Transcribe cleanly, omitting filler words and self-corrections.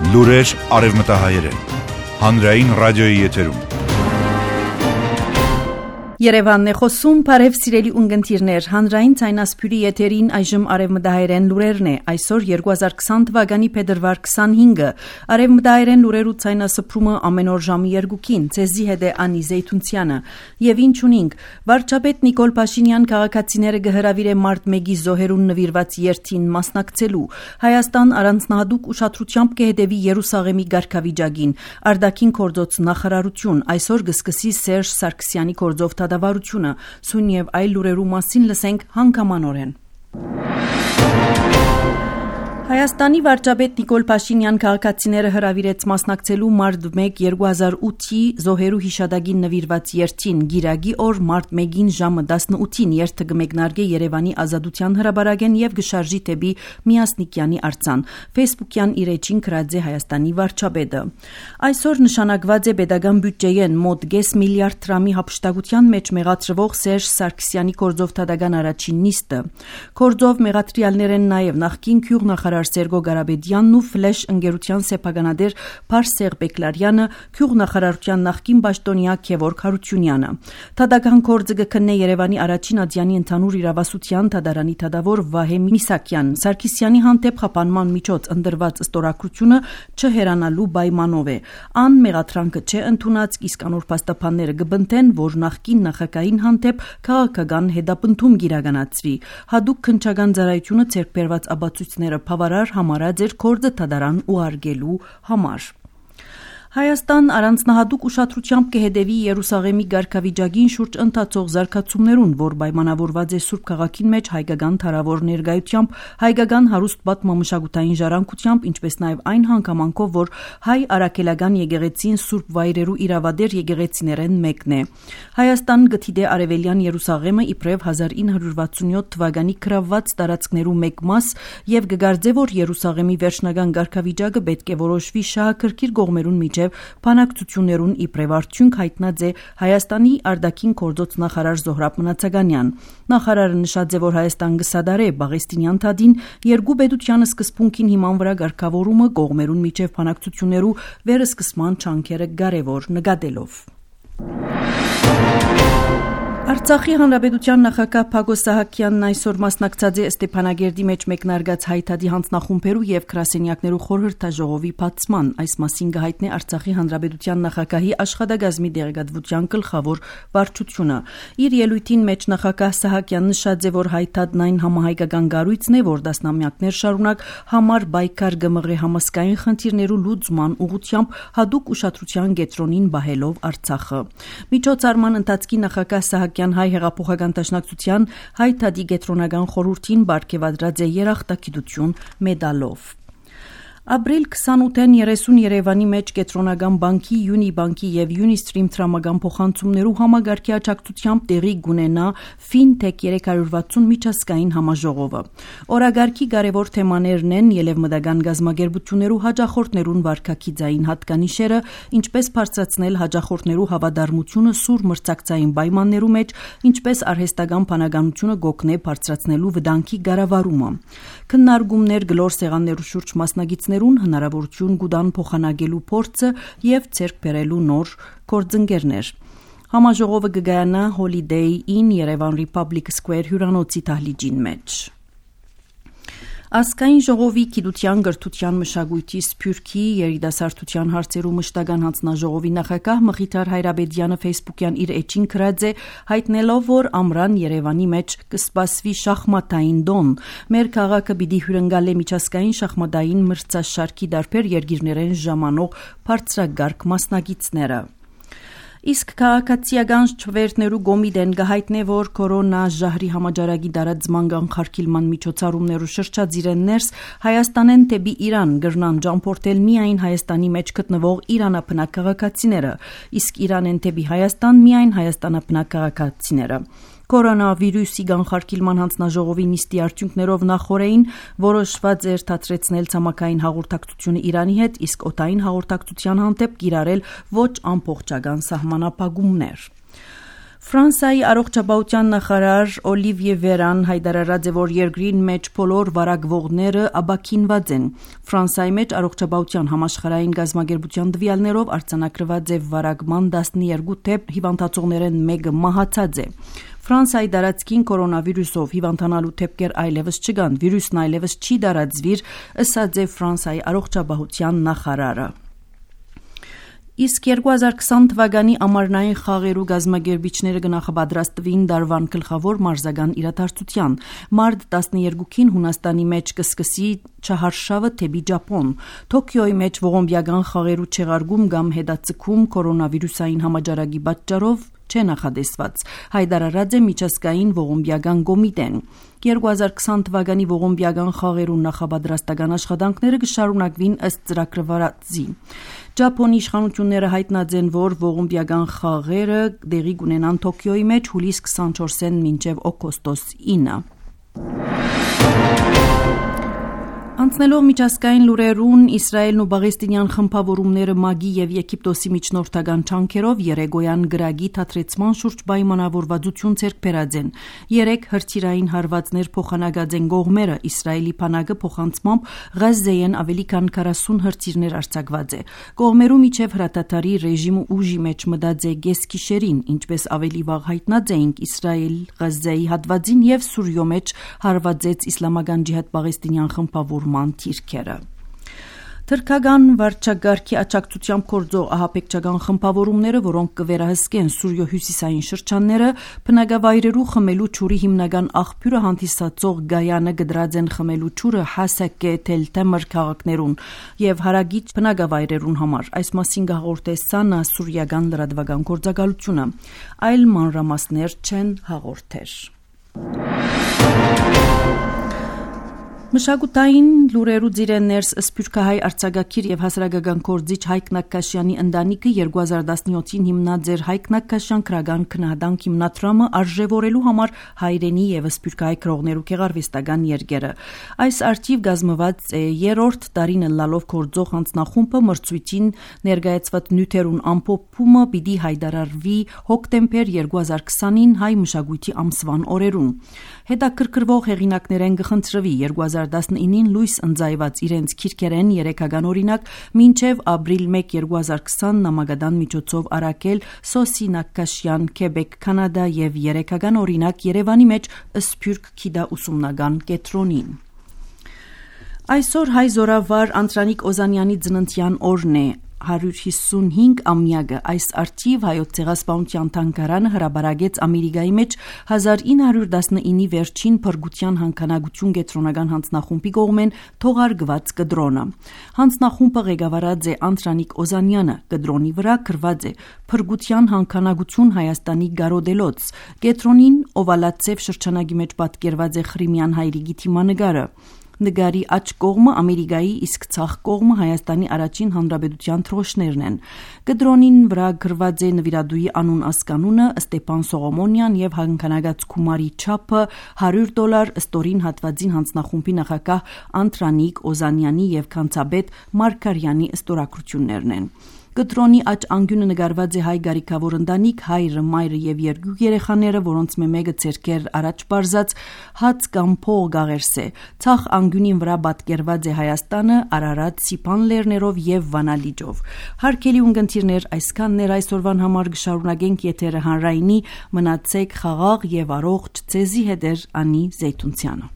Լուրեր արևմտահայերեն։ Հանրային ռադիոյի եթերում։ Երևանն է խոսում, բարև սիրելի ունգընտիրներ, հանրային ցայնասփյուրի եթերին այժմ արևմտահայերեն լուրերն է, այսօր 2020 թվականի փետրվար 25-ը, արևմտահայերեն լուրերու ցայնասփրումը ամեն օր ժամի 2-ին, ցեզի հետ է Անի Զեյթունցյանը, եւ ինչ ունենք, վարչապետ Նիկոլ Փաշինյան քաղաքացիները գհրավիրե մարտ 1-ի զոհերուն նվիրված երթին մասնակցելու, Հայաստան առանձնահատուկ ուշադրությամբ կհետևի Երուսաղեմի ղարքավիճակին, արտաքին գործոց նախարարություն, այսօր կսկսի Սերժ Սարգսյանի գործով դավարությունը, սույն եւ այլ լուրերու մասին լսենք հանգամանորեն։ Հայաստանի վարչապետ Նիկոլ Փաշինյան քաղաքացիները հրավիրեց մասնակցելու մարտ 1 2008-ի զոհերու հիշադակին նվիրված երթին գիրագի օր մարտ 1-ին ժամը 18-ին երթը կմեկնարկե Երևանի Ազատության հրապարակեն եւ գշարժի դեպի Միասնիկյանի արձան։ Facebook-յան իր էջին գրած է Հայաստանի վարչապետը։ Այսօր նշանակված է պետական բյուջեեն մոտ 5 միլիարդ դրամի հապշտակության մեջ մեղադրվող Սերժ Սարգսյանի գործով դատական առաջին նիստը։ Գործով մեղադրյալներ են նաեւ նախկին գյուղնախարար Սերգո Գարաբեդյանն ու Ֆլեշ ընկերության սեփականատեր Փարսեղ Բեկլարյանը, գյուղնախարարության նախկին պաշտոնյա Գևորգ Հարությունյանը։ Դատական գործը կքննե Երևանի առաջին ադյանի ընդհանուր իրավասության դատարանի դատավոր Վահե Միսակյան։ Սարգսյանի հանդեպ խափանման միջոց ընդրված ստորագրությունը չհերանալու պայմանով է։ Ան մեղադրանքը չէ ընդունած, իսկ անոր փաստաբանները կբնթեն, որ նախկին նախագահին հանդեպ քաղաքական հետապնդում կիրականացվի։ Հadoop քննչական ծառայությունը ձեռք բերված ապացույցները համարած էր գործը դատարան ուղարկելու համար։ Հայաստան առանձնահատուկ ուշադրությամբ կհետևի Երուսաղեմի ղարքավիճակին շուրջ ընթացող զարգացումներուն, որ պայմանավորված է Սուրբ քաղաքին մեջ հայկական թարավոր ներկայությամբ, հայկական հարուստ պատմամշակութային ժառանգությամբ, ինչպես նաև այն հանգամանքով, որ հայ արաքելական եկեղեցին Սուրբ վայրերու իրավադեր եկեղեցիներեն մեկն է։ Հայաստան գտիդե Արևելյան Երուսաղեմը իբրև 1967 թվականի գրավված տարածքներու մեկ մաս եւ կգարձե, որ Երուսաղեմի վերջնական ղարքավիճակը պետք է որոշվի շահակրկիր կողմերուն միջև բանակցություններուն իբրև արդյունք հայտնած է Հայաստանի արտաքին գործոց նախարար Զոհրաբ Մնացականյան։ Նախարարը նշած է, որ Հայաստան կսադարե Պաղեստինյան թադին երկու պետության սկզբունքին հիման վրա ղարքավորումը կողմերուն միջև բանակցություններու վերսկսման չանքերը կարևոր նկատելով։ Արցախի հանրապետության նախագահ Փագոս Սահակյանն այսօր մասնակցած է Ստեփանագերդի մեջ մեկնարկած հայտարարի հանձնախումբերու եւ գրասենյակներու խորհրդաժողովի բացման։ Այս մասին կհայտնի Արցախի հանրապետության նախագահի աշխատակազմի դեղեկատվության գլխավոր վարչությունը։ Իր ելույթին մեջ նախագահ Սահակյանն նշած է, որ հայտարարն այն համահայկական կառույցն է, որ դասնամյակներ շարունակ համար բայկար գմղրե համասկային խնդիրներու լուծման ուղղությամբ հadoop ուշադրության կենտրոնին բահելով Արցախը։ Միջոցառման ընթացքի նախագահ Սահակյանն հայ հեղափոխական դաշնակցության հայտարարի կենտրոնական խորհրդին բարգեւադրած է երախտագիտություն մեդալով։ Ապրիլ 28-ին 30 Երևանի մեջ կենտրոնական բանկի, Յունիբանկի եւ Յունիստրիմ տրամական փոխանցումներու համագարկի աջակցությամբ տեղի կունենա Fintech 360 միջազգային համաժողովը։ Օրագարկի կարևոր թեմաներն են ելևմտական գազագերբություններու հաջախորդներուն վարկակիցային հատկանիշերը, ինչպես բարձրացնել հաջախորդներու հավատարմությունը սուր մրցակցային պայմաններու մեջ, ինչպես արհեստական բանականությունը գոքնե բարձրացնելու վտանգի կառավարումը։ Քննարկումներ գլոր սեղաններու շուրջ մասնագետներուն հնարավորություն կուտան փոխանակելու փորձը եւ ցերկ բերելու նոր գործընկերներ։ Համաժողովը կգայանա Holiday Inn Yerevan Republic Square հյուրանոցի դահլիճին մեջ։ Ազգային ժողովի գիտության, գրթության, մշակույթի, սփյուռքի, երիտասարդության հարցերու մշտական հանձնաժողովի նախագահ Մխիթար Հայրաբեդյանը Facebook-յան իր էջին գրած է, հայտնելով, որ ամռան Երևանի մեջ կսպասվի շախմատային դոն։ Մեր քաղաքը պիտի հյուրընկալի միջազգային շախմատային մրցաշարքի տարբեր երկիրներեն ժամանող բարձրագարկ մասնակիցները։ Իսկ քաղաքացիական չվերթներու գոմիդեն գահիտնե, որ կորոնա ժահրի համաճարակի դարածման կանխարգելման միջոցառումներու շրջածիրեն ներս Հայաստանեն դեպի Իրան գրնան ճամփորդել միայն Հայաստանի մեջ գտնվող իրանապնակ քաղաքացիները, իսկ Իրանեն դեպի Հայաստան միայն հայաստանապնակ քաղաքացիները։ Կորոնավիրուսի կանխարգելման հանձնաժողովի նիստի արդյունքներով նախորդին որոշված էր դադրեցնել ցամաքային հաղորդակցությունը Իրանի հետ, իսկ օդային հաղորդակցության հանդեպ կիրառել ոչ ամբողջական սահմանափակումներ։ Ֆրանսիայի առողջապահության նախարար Օլիվիե Վերան հայտարարած է, որ երկրին մեջ բոլոր վարակվողները աբաքինված են։ Ֆրանսիայի մեջ առողջապահության համաշխարհային գազագերբության տվյալներով արձանագրված է վարակման 12 դեպք, հիվանդացողներն մեկը մահացած է։ Ֆրանսիայի տարածքին կորոնավիրուսով հիվանդանալու դեպքեր այլևս չկան, վիրուսն այլևս չի տարածվիր, ըսած է Ֆրանսիայի առողջապահության նախարարը։ Իսկ 2020 թվականի ամառնային խաղերու գազմագերբիչները կնախապատրաստվին դարվան գլխավոր մարզական իրադարձության։ Մարտ 12-ին Հունաստանի մեջ կսկսի չհարշավը թեպի Ճապոն։ Թոքիոյի մեջ ողոմբիական խաղերու չեղարկում կամ հետաձգում կորոնավիրուսային համաճարակի պատճառով չէ նախադեсված, հայտարարած է միջազգային ողոմբիական կոմիտեն։ 2020 թվականի ողոմբիական խաղերու նախապատրաստական աշխատանքները կշարունակվին ըստ ծրագրավորածի։ Ճապոնի իշխանությունները հայտնած են, որ ողոմբիական խաղերը տեղի կունենան Թոքիոյի մեջ հուլիս 24-ին մինչև օգոստոս 9։ Անցնելով միջազգային լուրերուն, Իսրայելն ու Պաղեստինյան խմբավորումները ՄԱԳ-ի եւ Եգիպտոսի միջնորդական չանքերով երեգոյան գրագի թատրեցման շուրջ պայմանավորվածություն ձեռք բերած են։ 3 հրթիռային հարվածներ փոխանակած են կողմերը, Իսրայելի բանակը փոխանցմամբ Ղազայեն ավելի քան 40 հրթիռներ արձակված է։ Կողմերու միջև հրատատարի ռեժիմը ուժի մեջ մտած է գեսգիշերին, ինչպես ավելի վաղ հայտնած էինք, Իսրայել Ղազայի հատվածին եւ Սուրիո մեջ հարվածեց իսլամական ջիհադ Պաղեստինյան խմբավորման թիրքերը։ Թրքական վարչագարքի աջակցությամբ գործող ահաբեկչական խմբավորումները, որոնք կվերահսկեն Սուրիո հյուսիսային շրջանները, բնակավայրերու խմելու ջուրի հիմնական աղբյուրը հանդիսացող Գայանը գդրած են խմելու ջուրը Հասակե, Թել-Թեմր քաղաքներուն եւ հարագից բնակավայրերուն համար։ Այս մասին հաղորդե Սանա սուրիական լրատվական գործակալությունը։ Այլ մանրամասներ չեն հաղորդեր։ Մշակութային լուրերու ձիրներս սփյուռքահայ արձակագիր եւ հասարակական գործիչ Հայկ Նակաշյանի ընտանիքը 2017-ին հիմնած էր Հայկ Նակաշյան քրական քննադանք հիմնադրամը արժևորելու համար հայրենի եւ սփյուռքահայ քրողներու գեղարվեստական երգերը։ Այս արխիվ գազմված է 3-րդ տարին լալով գործող հանձնախումբը մրցույթին ներկայացված նյութերուն ամփոփումը պիտի հայտարարվի հոկտեմբեր 2020-ին հայ մշակույթի ամսվան օրերուն։ Հետաքրքրվող հեղինակներեն կխնդրվի 2019-ին լույս ընծայված իրենց քիրքերեն 3-ական օրինակ մինչև ապրիլ 1 2020 նամակադան միջոցով արակել Սոսի Նակաշյան Քեբեկ Կանադա եւ 3-ական օրինակ Երևանի մեջ Սփյուռք Քիդա ուսումնական կենտրոնին։ Այսօր հայ զորավար Անդրանիկ Օզանյանի ծննդյան օրն է 155 ամյակը։ Այս արխիվ հայոց ցեղասպանության թանգարանը հրաբարագեց Ամերիկայի մեջ 1919-ի վերջին փրկության հանքանակություն կենտրոնական հանձնախումբի կողմեն թողարկված կդրոնը։ Հանձնախումբը ղեկավարած է Անդրանիկ Օզանյանը, կդրոնի վրա գրված է փրկության հանքանակություն Հայաստանի գարոդելոց։ Կենտրոնին օվալացև շրջանագի մեջ պատկերված է Խրիմյան հայրիկի թիմանգարը։ Նգարի աջ կողմը Ամերիկայի, իսկ ցախ կողմը Հայաստանի առաջին հանրապետության թրոշներն են։ Կդրոնին վրա գրված է նվիրատուի անուն ասկանունը Ստեփան Սողոմոնյան եւ հանքանակած գումարի չափը $100 ստորին հատվածին հանձնախումբի նախակահ Անդրանիկ Օզանյանի եւ քանցաբեդ Մարկարյանի ստորագրություններն են։ Կտրոնի աջ անգյունը նկարված է հայ գարիքավոր ընտանիք, հայրը, մայրը եւ երկու երեխաները, որոնց մեկը ցերկեր առաջ բարձած հաց կամ փող գաղերս է։ Ցախ անգյունին վրա պատկերված է Հայաստանը, Արարատ, Սիփան լեռներով եւ Վանալիջով։ Հարկելի ունգընտիրներ, այսքաններ այսօրվան համար կշարունակենք եթերը հանրայինի, մնացեք խաղաղ եւ առողջ, ցեզի հետ Անի Զեյթունցյանը։